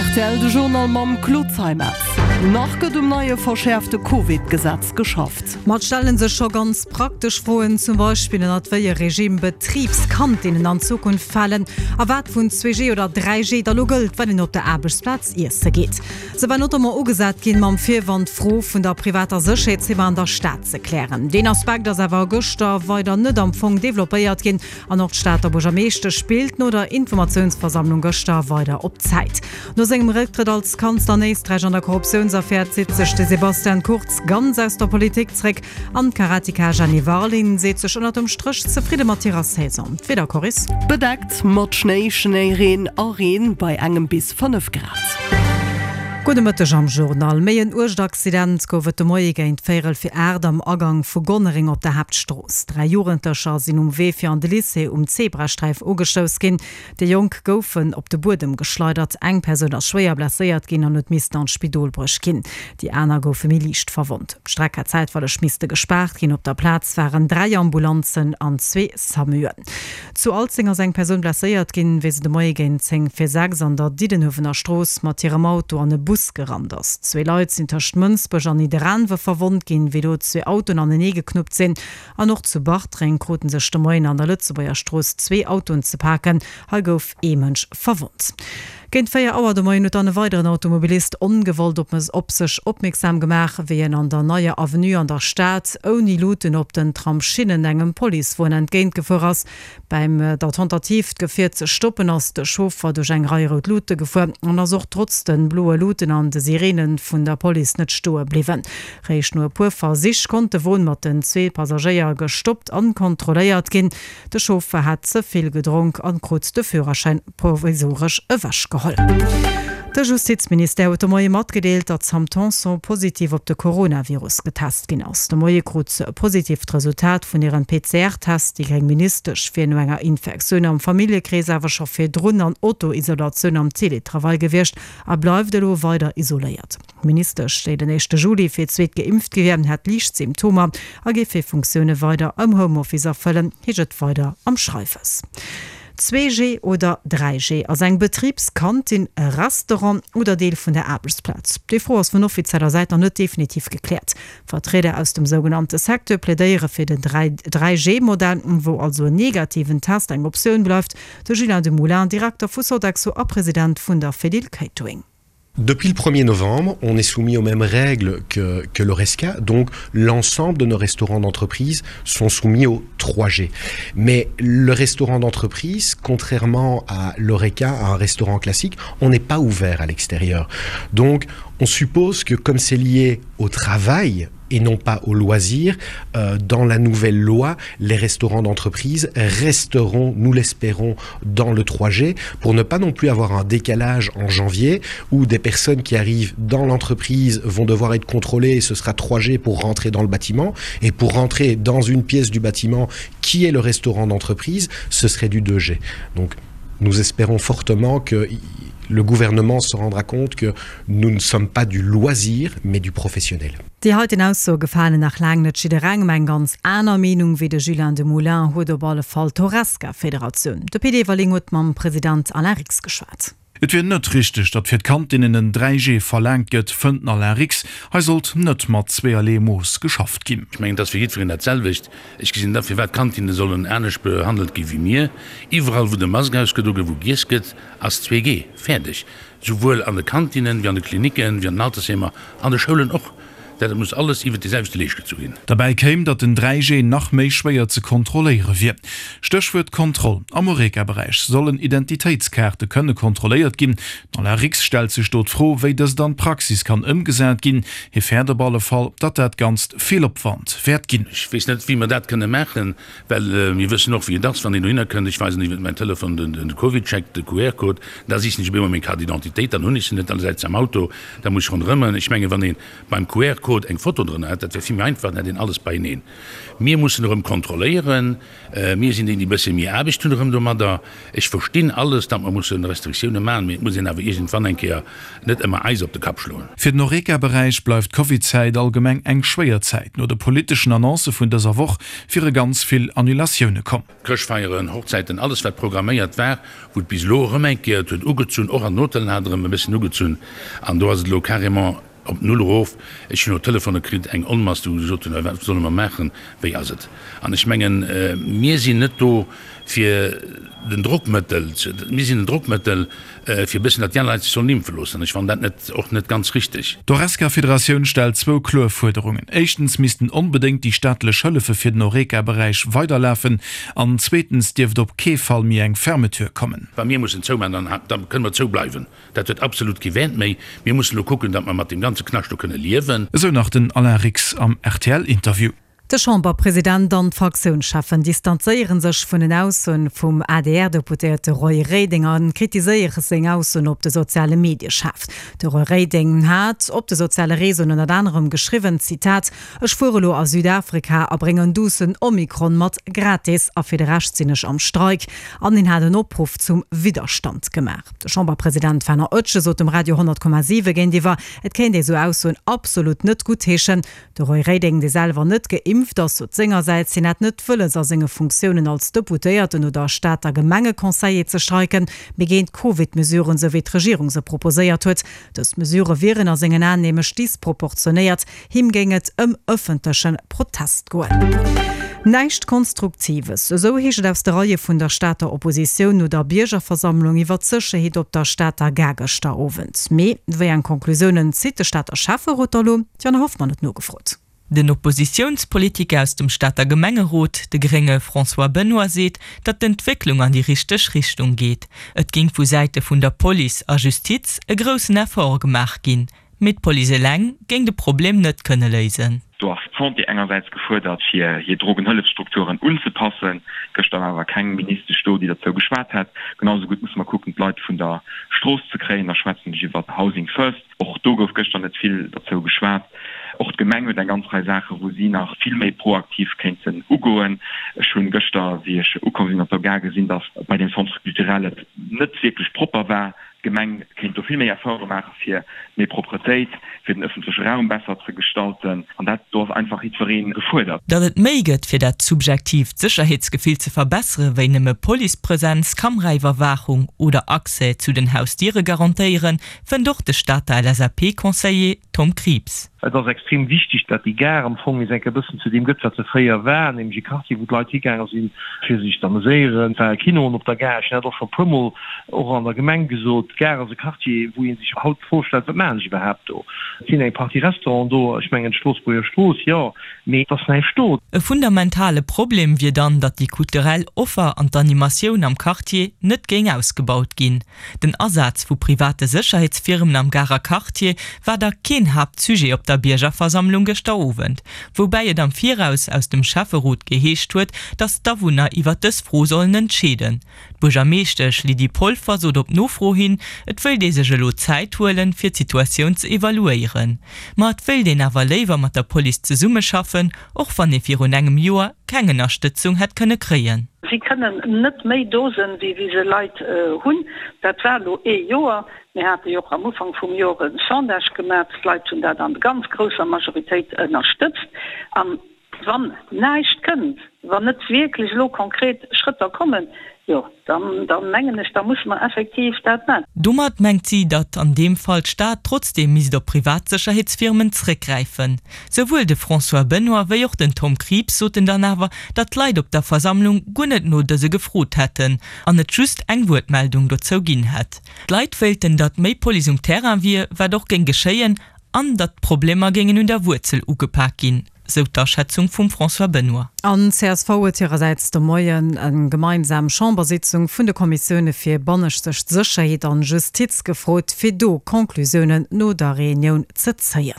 Rtl, de Journal mam Claude Zeimetz. Nach gëtt um neie verschäerfte Covid-Gesetz geschafft. Ma et stelle sech scho ganz praktesch Froen, zum Beispill ënnert wéi e Regime Betribskantinnen an Zukunft falen a wat vun 2G oder 3G da lo gëllt, wann een op der Aarbechtsplaz iesse geet. Se war notamment ugesat ginn, mam Virwand d'Fro vun der privater Sécherheetsfirma an der Stad ze klären. Deen Aspekt ass awer gëschter weider net am Fong developpéiert ginn an och d'Stater Buergermeeschtesch spillt no der Informatiounsversammlung gëschter weider op Zäit. No sengem Récktrëtt als Kanzler an Éisträich an der Korruptiounsaffär zitt sech de Sebastian Kurz ganz aus der Politik zréck an d'Karateka Jenny Warling seet sech ënnert dem Stréch zefridde mat hirer Saison. D'Wieder, Coris. Bedeckt mat Schnéi, Schnéireen a Reen bei engem bis 5 Grad. Gudde Mëtteg am Journal. Méi en uergt Accident gouf et de Moie géint véierel fir 8 am Agang vu Gonnereng op der Haaptstrooss. 3 Jugendlecher sinn um Wee fir an de Lycée um Zebrasträif ugestouss ginn. Déi Jonk goufen op de Buedem geschleidert, eng Persoun ass schwéier blesséiert ginn an huet missten an d'Spidol bruecht ginn. Déi aner goufe méi liicht verwonnt. D'Streck hat zäitweileg misste gespaart ginn. Op der Plaz waren 3 Ambulanzen an zwee Samuen. Zu Alzeng ass eng Persoun blesséiert ginn, wéi se de Moie géint 10 vir 6 an der Diddenhuewener Strooss mat hirem Auto an e Bus gerannt ass. Zwee Leit sinn tëscht Mënsbech an Nidderaanwe verwonnt ginn, wéi do zwee Autoen anenee geknuppt sinn. An och zu Bartreng krute sech de Moien an der Lëtzebuerger Strooss zwee Autoen ze paken. Hei gouf ee Mënsch verwonnt. Géint 4 Auer de Moien huet dann e weideren Automobilist ongewollt op op sech opmierksam gemaach, wéi en an der Neier Avenue an der Stad ouni Luuten op den Tramsschinnen engem Policewon entgéint gefuer ass. Bäim der Tentative d'Gefier ze stoppen ass de Chauffer duerch eng Rei rout Luute gefuer an ass och trotz de bloe Luuten an de Sireene vun der Police net stoe bliwwen. Réischt no e puer Versich konnt de Won mat den zwee Passagéier gestoppt an kontrolléiert ginn. De Chauffer hat ze vill gedronk an krut de Führerschäin provisoresch ewechgeholl. De Justizministère huet de Moie matgedeelt, datt d'Sam Tanson positiv op de Coronavirus getest ginn ass. De Moie krut se e positiivt Resultat vun hirem PCR-Test. Déi gréng Ministesch wier no enger Infektioun am Familljekrees awer scho virdrun an Auto-Isolatioun am Teletravail gewiescht a bleift elo weider isoléiert. D'Ministesch, déi den éischte Juli fir d'zweet geimpft gi wier, hätt liicht Symptomer a géif hir Funktioune weider am Homeoffice erfëllen, heescht et weider am Schreiwes. 2G oder 3G, Ass eng Betribskantin e Restaurant oder Deel vun der Aarbechtsplaz? Déi Fro ass vun offizieller Säit nach net definitiv gekläert. Vertrieder aus dem sougenannte Secteur plädéiere fir den 3G-Modell, wou also en negativen Test eng Optioun bleift. De Julien Demoulin, Direkter vu Sodexo a President vun der Fedil Catering. Depuis le 1er novembre, on est soumis aux mêmes règles que, que l'Oresca, donc l'ensemble de nos restaurants d'entreprise sont soumis au 3G. Mais le restaurant d'entreprise, contrairement à l'Oreca, à un restaurant classique, on n'est pas ouvert à l'extérieur. Donc on suppose que comme c'est lié au travail, et non pas au loisir. Euh, dans la nouvelle loi, les restaurants d'entreprise resteront, nous l'espérons, dans le 3G pour ne pas non plus avoir un décalage en janvier où des personnes qui arrivent dans l'entreprise vont devoir être contrôlées et ce sera 3G pour rentrer dans le bâtiment et pour rentrer dans une pièce du bâtiment qui est le restaurant d'entreprise, ce serait du 2G. Donc nous espérons fortement que le gouvernement se rendra compte que nous ne sommes pas du loisir, mais du professionnel. Déi heiten Aussoe gefalen nach laang net jidderengem. Eng ganz aner Meenung wéi de Julien Demoulin huet op alle Fall d'Horesca-Federatioun. De Pit Everling huet mam President Alain Rix geschwat. Et wier net richteg, datt fir d'Kantinnen en 3G verlaangt gëtt, fënnt den Alain Rix. Hei sollt net mat zweeërlee Mooss geschafft ginn. Ech mengen, et ass fir jiddwereen dat selwecht. Ech gesinn net a firwat d'Kantinne sollen anescht behandelt gi wéi mir. Iwwerall wou de Mask ausgedo gëtt, wou giess gëtt, ass 2G. Fäerdeg. Souwuel an de Kantinnen, wéi an de Klinicken, wéi an den Altersheemer, an de Schoulen och. Dat et muss alles iwwert dee selwechte Leescht gezu ginn. Derbäi kéim, datt den 3G nach méi schwéier ze kontrolléiere wier. Stéchwuert Kontroll, Am Horeca-Beräich sollen Identitéitskaarte kënne kontrolléiert ginn. Den Alain Rix stellt sech do d'Fro, wéi dëst an d'Praxis kann ëmgesat ginn. Hie fäert op alle Fall, datt dat Ganzt vill Opwand wäert ginn. Ech weess net, wéi mer dat kënne maachen. Well mir wëssen och, wéi et ass, wann een dohinner kënnt, ech weisen iwwert mäin Telefon den CovidCheck, de QR-Code, da sichen ech op eemol meng Carte d'identité, dann hunn ech se net, dann läit se am Auto, da muss ech ronderëmmen. Ech mengen, wann ee beim QR-Code. QR-Code eng Foto drënner hätt, dat wär vill méi einfach, dann hätt een alles beieneen. Mir mussen erëm kontrolléieren. Mir sinn déi, déi e bësse méi Aarbecht hunn erëm domadder. Ech verstinn alles, datt mer musse Restriktioune maachen, mee et muss een awer iergendwann eng Kéier net ëmmer eis op de Kapp schloen. Fir den Horeca-Beräich bleift d'Covid-Zäit allgemeng eng schwéier Zäit. No de politeschen Annoncë vun dëser Woch wiere ganz vill Annulatioune komm. Chrëschtfeieren, Hochzäiten, alles wat programméiert war, wou et bis elo erëm eng Kéier, et huet ugezunn, och an den Hotellen hat et erëm e bëssen ugezunn an do ass et elo carrément op Null erof. Ech hunn och Telefone kritt, eng Onmass, déi gesot hunn, wat solle mer maachen, wéi ass et? An ech mengen, mir sinn net do fir den Drockmëttel, mir sinn en Drockmëttel fir e bëssen, datt déi aner Leit sech sollen impfe loossen. An ech fannen dat net, och net ganz richteg. D'Horesca-Federatioun stellt zwou kloer Fuerderungen, Éischtens missten onbedéngt déi staatlech Hëllefe fir den Horeca-Beräich weiderlafen an zweetens dierft op kee Fall méi eng Fermeture kommen. Wa mir mussen zoumaachen, dann da kënne mer zoubleiwen. Dat huet absolut kee Wäert méi. Mir mussen elo kucken, datt mer mat deem ganze Knascht do kënne liewen. Esou nach den Alain Rix am RTL-Interview. De Chamberpresident an d'Fraktiounscheffen distanzéiere sech vun den Aussoen vum ADR-Deputéierte Roy Reding a kritiséiere seng Aussoen op de soziale Medie schaarf. De Roy Reding hat op de soziale Reseauen ënnert anerem geschriwwen, Zitat, Ech fuere lo a Südafrika a bréngen duussen Omikron mat, gratis, a fir de Rescht sinn ech am Streik. An hien hat en Opruff zum Widderstand gemaach. De Chamberpresident Fernand Oetsch sot dem Radio 100,7 géintiwwer, et kéint ee sou Aussoen absolut net guttheeschen. De Roy Reding, dee selwer net geimpft ass, sot sengersäits, hien hätt net wëlles a senge Funktiounen als Deputéierten oder Stater Gemengeconseiller ze streiken, mee géint d'Covid-Mesuren, sou wéi d'Regierung se proposéiert huet. Dës Mesurë wieren a sengen Aen nämlech disproportionéiert. Him géing et ëm ëffentleche Protest goen. Näischt Konstruktives, esou heescht et aus de Reie vun der Stater Oppositioun no der Biergerversammlung iwwer d'Sécherheet op der Stater Gare gëschter Owend. Mee wéi eng Conclusiounen zitt de Stater Schäfferot da lo? D'Jana Hoffmann huet nogefrot. Den Oppositiounspolitiker aus dem Stater Gemengerot, de grénge François Benoy seet, datt d'Entwécklung an déi richteg Richtung geet. Et géing vu Säite vun der Police a Justiz e groussen Effort gemaach ginn. Mee d'Police eleng géing de Problem net kënne léisen. Do ass d'Santé engersäits gefuerdert, fir hir Drogenhëllefsstrukturen unzepassen. Gëschter war awer keng Ministesch do, déi derzou geschwat hätt. Genau esou gutt musse mer kucken, d'Leit vun der Strooss ze kréien. Da schwätzen ech iwwer Housing First. Och do gouf gëschter net vill derzou geschwat. Och d'Gemeng huet eng ganz Rei Saachen, wou si nach vill méi proaktiv kéinten ugoen. Ech hunn gëschter, wéi ech ukomm sinn op der Gare, gesinn, datt bei deem Centre culturel et net wierklech propper war. D'Gemeng kéint do vill méi Efforte maache fir méi Propretéit, fir den ëffentleche Raum besser ze gestalten. An dat, do ass einfach jiddweree gefuerdert. Datt et méi gëtt, fir dat subjektiivt Sécherheetsgefill ze verbessere wéi nëmme Policepresenz, Kameraiwwerwaachung oder Accès zu den Hausdiere garantéieren, fënnt och de Stater LSAP-Conseiller Tom Krieps. Et ass extrem wichteg, datt déi Gare am Fong nees eng Kéier e bëssen zu deem gëtt, wat se fréier war, nämlech e Quartier, wou d'Leit higaange sinn, fir sech z'ameséieren. Et war e Kino op der Gare. Ech hunn dat och scho e puermol och an der Gemeng gesot. D'Gare ass e Quartier, wou ee sech haut d'Fro stellt, Wat maachen ech iwwerhaapt do? Et sinn eng Partie Restauranten do, ech mengen d'Stroossbuerger Strooss, jo, mee et ass näischt do. E fundamentale Problem wier dann, datt déi kulturell Offer an d'Animatioun am Quartier net géing ausgebaut ginn. Den Asaz vu private Sécherheetsfirmen am Garer Quartier war da keen Haaptsujet op der Biergerversammlung gëschter Owend, woubäi et am Viraus aus dem Schäfferot geheescht huet, datt d'Awunner iwwer dës Fro sollen entscheeden. D'Buergermeeschtesch Lydie Polfer sot op Nofro hin, et wëilt ee sech elo Zäit huelen, fir d'Situatioun ze evaluéieren. Ma et wéilt een awer léiwer mat der Police zesummeschaffen, och wann ee virun engem Joer keng Ënnerstëtzung hätt kënne kréien. Si kënnen net méi Dosen, wéi wéi se Leit hunn. Dat war elo ee Joer. Mir hate jo och am Ufank vum Joer e Sondage gemaach. D'Leit hunn dat an ganz grousser Majoritéit ënnerstëtzt. An wann näischt kënnt, wann net wierklech elo konkret Schrëtter kommen, jo, Dann, dann mengen ech, da musse mer effektiv dat maachen. Domat mengt si, datt an deem Fall d'Stad trotzdeem misst op privat Sécherheetsfirmen zréckgräifen. Souwuel de François Benoy wéi och den Tom Krieps soten dann awer, datt d'Leit op der Versammlung guer net no dëse gefrot hätten an et just eng Wuertmeldung dozou ginn hätt. D'Leit wéilten, datt méi Police um Terrain wier, wat och géing geschéien, an datt d'Problemer géingen un der Wuerzel ugepak ginn. Sou d'Aschätzung vum François Benoy. An csv huet hirersäits de Moien eng gemeinsam Chambersitzung vun de Kommissioune fir banneschteg Sécherheet an Justiz gefrot, fir do Conclusiounen no der Reunioun ze zéien.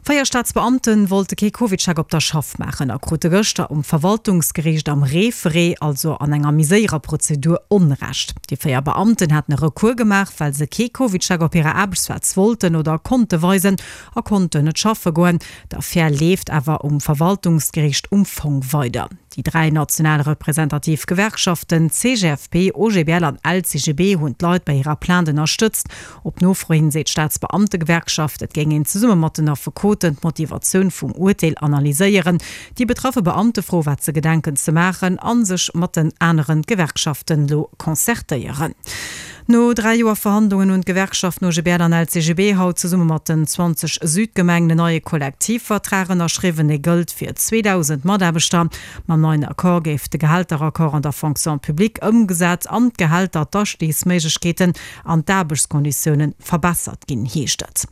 Véier Staatsbeamte wollte kee Covidcheck op der Schaff maachen a krute gëschter um Verwaltungsgeriicht am Référé, also an enger méi séierer Prozedur, Onrecht. Déi 4 Beamten haten e Recours gemaach, well se kee Covidcheck op hirer Aarbechtsplaz wollten oder konnte weisen a konnten net schaffe goen. D'Affär leeft awer um Verwaltungsgeriicht um Fong weider. Déi 3 national representativ Gewerkschaften CGFP, OGBL an LCGB hunn d'Leit bei hirer Plainte ënnerstëtzt. Op Nofro hin seet d'Staatsbeamtegewerkschaft, et géing een zesumme mat den Affekoten d'Motivatioun vum Urteel analyséieren, déi betraffe Beamte froe wat se gedenken ze maachen a sech mat den anere Gewerkschaften elo concertéieren. No 3 Joer Verhandlungen hunn d'Gewerkschaften OGBL an LCGB haut zesumme mat den 20 Südgemengen en neie Kollektivvertrag ënnerschriwwen. Dee gëllt fir 2.000 Mataarbechter. Mam neien Accord géif de Gehälteraccord an der Fonction publique ëmgesat an d'Gehälter, d'Astigsméiglechkeeten an d'Aarbechtskonditioune verbessert ginn, heescht et.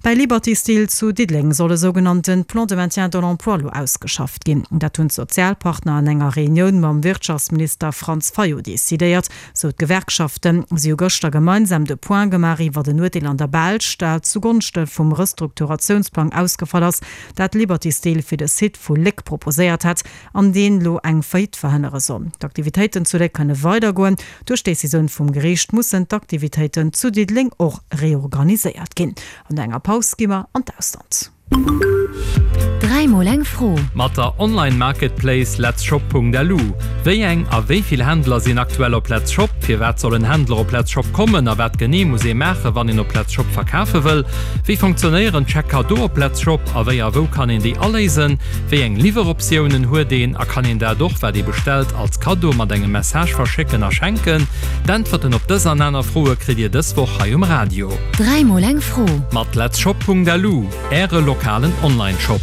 Bäi Liberty Steel zu Diddeleng soll e sougenannte Plan de maintien de l'emploi elo ausgeschafft ginn. Dat hunn d'Sozialpartner an enger Reunioun mam Wirtschaftsminister Franz Fayot decidéiert, sou d'Gewerkschaften. Si hu gëschter gemeinsam de Point gemaach iwwer en Urteel an der Belsch, dat zu Gonschte vum Restrukturatiounsplang ausgefall ass, dat Liberty Steel fir de Site vu Léck proposéiert hat an deen elo eng Faillite verhënnere soll. D'Aktivitéiten zu Léck kënne weidergoen. Duerch d'Decisioun vum Geriicht mussen d'Aktivitéiten zu Diddeleng och reorganiséiert ginn. An no enger Paus gi mer an d'Ausland. Dräimol eng Fro. Mat der Online-Marketplace letzshop.lu. Wéi eng a wéi vill Händler sinn aktuell op Letzshop? Firwat sollen Händler op Letzshop kommen a wat genee muss ee maachen, wann een op Letzshop verkafe wëll? Wéi fonctionnéieren d'Chèques cadeaux op Letzshop a wéi a wou kann een déi aléisen? Wéi eng Liwweroptiounen huet een a kann een dat och, wat ee bestellt, als Kaddo mat engem Message verschécken a schenken? D'Äntwerten op dës an aner Froe kritt Dir dës Woch hei um Radio. Dräimol eng Fro. Mat Letzshop.lu, Äre lokalen Online-Shop.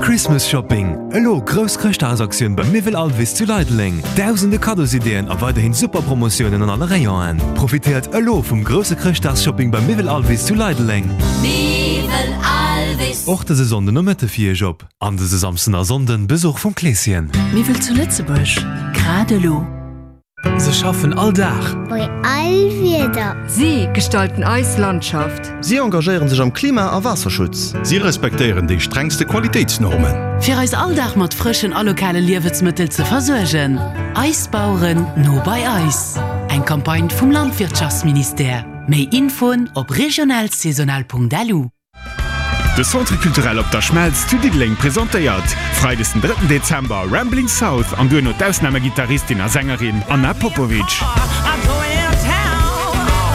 Christmas Shopping, Elo grouss Chrëschtdagsaktioun beim Miwwel Alvis zu Leideleng. Dausende Kaddosideeën a weiderhin super Promotiounen an alle Rayonen. Profitéiert elo vum grousse Chrëschtdagsshopping beim Miwwel Alvis zu Leideleng. Miwwel Alvis. Och dëse Sonnden Nomëtte fir Iech op an dëse Samsden a Sonnden Besuch vum Kleeschen. Miwwel zu Lëtzebuerg, grad elo. Se schaffen all Dag. Bei all Wieder. Si gestalten eis Landschaft. Si engagéieren sech am Klima a Waasserschutz. Si respektéieren déi strengste Qualitéitsnormen. Fir eis all Dag mat frëschen a lokale Liewensmëttel ze versuergen. Eis Baueren, no bei eis. Eng Campagne vum Landwirtschaftsministère. Méi Infoen op regionalsaisonal.lu. De Centre Culturel Op der Schmelz zu Diddeleng presentéiert Freides den drëtten Dezember Rambling South an duerno d'Ausnamegittarristin a Sängerin Anna Popovic.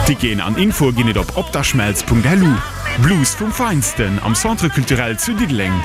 Ticketen an Infoe ginn et op opderschmelz.lu. Blues vum Feinsten am Centre Culturel zu Diddeleng.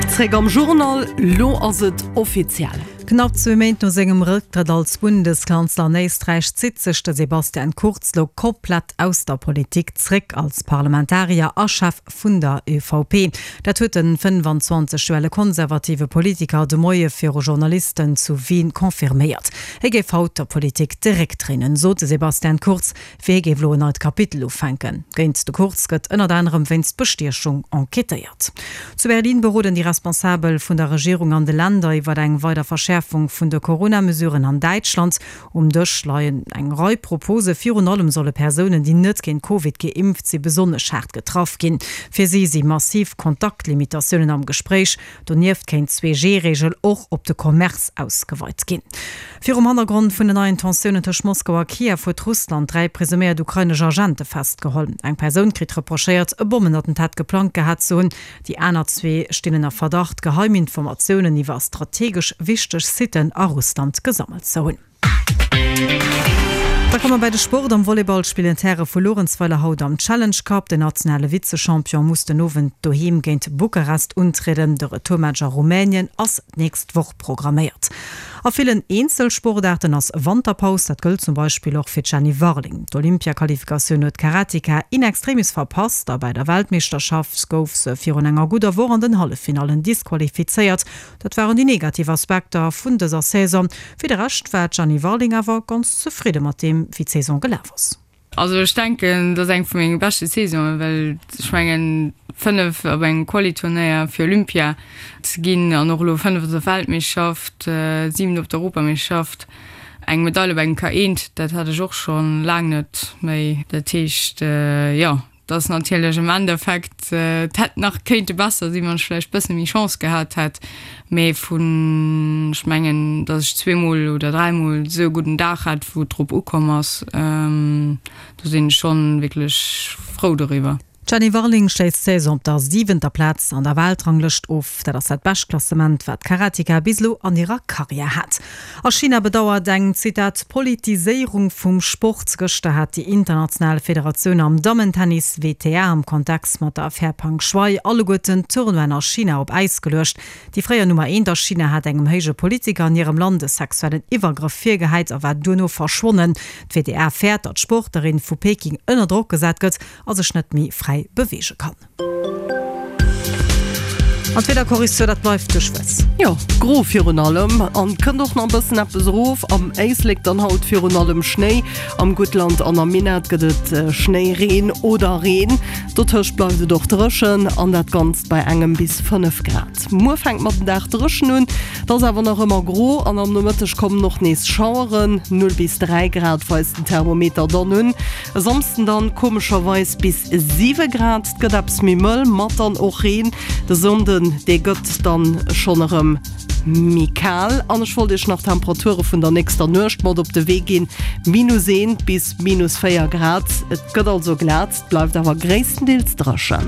Zréck am Journal, Lo ass et offiziell. Knapp zwee Méint no sengem Rëcktrëtt als Bundeskanzler an Éisträich zitt sech de Sebastian Kurz lo komplett aus der Politik zréck, als Parlamentarier a Chef vun der ÖVP. Dat huet den 25 Joer ale konservative Politiker de Moie viru Journalisten zu Wien confirméiert. Hie géif haut der Politik de Réck dréinen, sot de Sebastian Kurz. Fir hie géif elo en neit Kapitel ufänken. Géint de Kurz gëtt ënnert anerem wéinst Bestiechung enquêtéiert. Zu Berlin beroden déi Responsabel vun der Regierung an de Länder iwwer eng weider Verschäerfung vun de Corona-Mesuren an Däitschland. Um Dësch leien eng Rei Propose. Virun allem solle Persounen, déi net géint Covid geimpft si besonnesch haart getraff ginn. Fir si si massiv Kontaktlimitatiounen am Gespréich. Donieft kéint d'Zwee-G-Reegel och op de Commerce ausgeweit ginn. Virum Hannergrond vun den neien Tensiounen tëscht Moskau a Kiew huet Russland 3 presuméiert ukrainesch Agente festgeholl. Eng Persoun kritt reprochéiert, e Bommenattentat geplangt gehat ze hunn. Déi aner zwee stinn ënner Verdacht, geheim Informatiounen iwwer strategesch wichteg Sitten a Russland gesammelt ze hunn. Da komme mer bei de Sport. Am Volleyball spillen d'Häre vu Luerenzweiler haut am Challenge Cup. Den nationale Vize-Champion muss den Owend doheem géint Bukarest untrieden. De Retourmatch a Rumänien ass d'nächst Woch programméiert. A villen Eenzelsportaarten ass Wanterpaus. Dat gëllt zum Beispill och fir d'Jenny Warling. D'Olympia-Qualifikatioun huet d'Karateka in extremis verpasst a bei der Weltmeeschterschaft gouf se virun enger gudder Woch an den Halleffinallen disqualifizéiert. Dat waren déi negativ Aspekter vun dëser Saison. Fir de Rescht war d'Jeanny Warling awer ganz zefridde mat deem, wéi d'Saison gelaf ass. Also ech denken, et ass eng vu menge beschte Saisonen, well ech mengen 5 op engem Quali-Turnéier fir Olympia ze ginn an och elo 5 op der Weltmeeschterschaft, 7 op der Europameeschterschaft, eng Medail op engem K1, dat hat ech och scho laang net méi. Dat heescht, jo. Dass natierlech am Endeffekt et hätt nach kéinte besser sinn, wann ech vläicht bësse méi Chance gehat hätt. Mee vun, ech mengen, dass ech zweemol oder dräimol esou e gudden Dag hat, wou et drop ukomm ass, do sinn ech schonn wierklech frou doriwwer. D'Jenny Warling schléisst d'Saison op der siwenter Plaz an der Weltranglëscht of. Dat ass dat bescht Klassement, wat d'Karateka bis elo an hirer Karriär hat. A China bedauert eng, Zitat, Politiséierung vum Sport. Gëschter hat déi international Federatioun am Dammentennis, WTA, am Kontext mat der Affär Pang Shuai alleguerten d'Tournoien a China op Äis geluecht. Déi fréier Nummer eent a China hat engem héije Politiker an hirem Land e sexuellen Iwwergrëff virgehäit a war duerno verschwonnen. D'WTA fäert, datt d'Sportlerin vu Peking ënner Drock gesat gëtt a sech net méi fräi beweege kann. An d'Wiederkorriktioun, dat bleift duerchwuess. Jo, gro virun allem an kënnt och nach e bëssen eppes erof. Am Éislek dann haut virun allem Schnéi, am Guttland an am Minett gëtt et Schnéi, Reen oder Reen. Dotëscht bleift et och dréchen an dat Ganzt bei engem bis 5 Grad. Muer fänkt mat den Dag dréchen un, et ass awer nach ëmmer gro an am Nomëtteg kommen och nees Schaueren. 0 bis 3 Grad weist den Thermometer dann un. E Samsden dann komescherweis bis 7 Grad, et gëtt eppes méi mëll mat dann och Reen. De Sonnden dee gëtt dann schonn erëm méi kal an ech wollt iech nach d'Temperature vun der nächster Nuecht mat op de Wee ginn, minus 1 bis minus 4 Grad. Et gëtt also glat, et bleift awer gréisstendeels dréchen.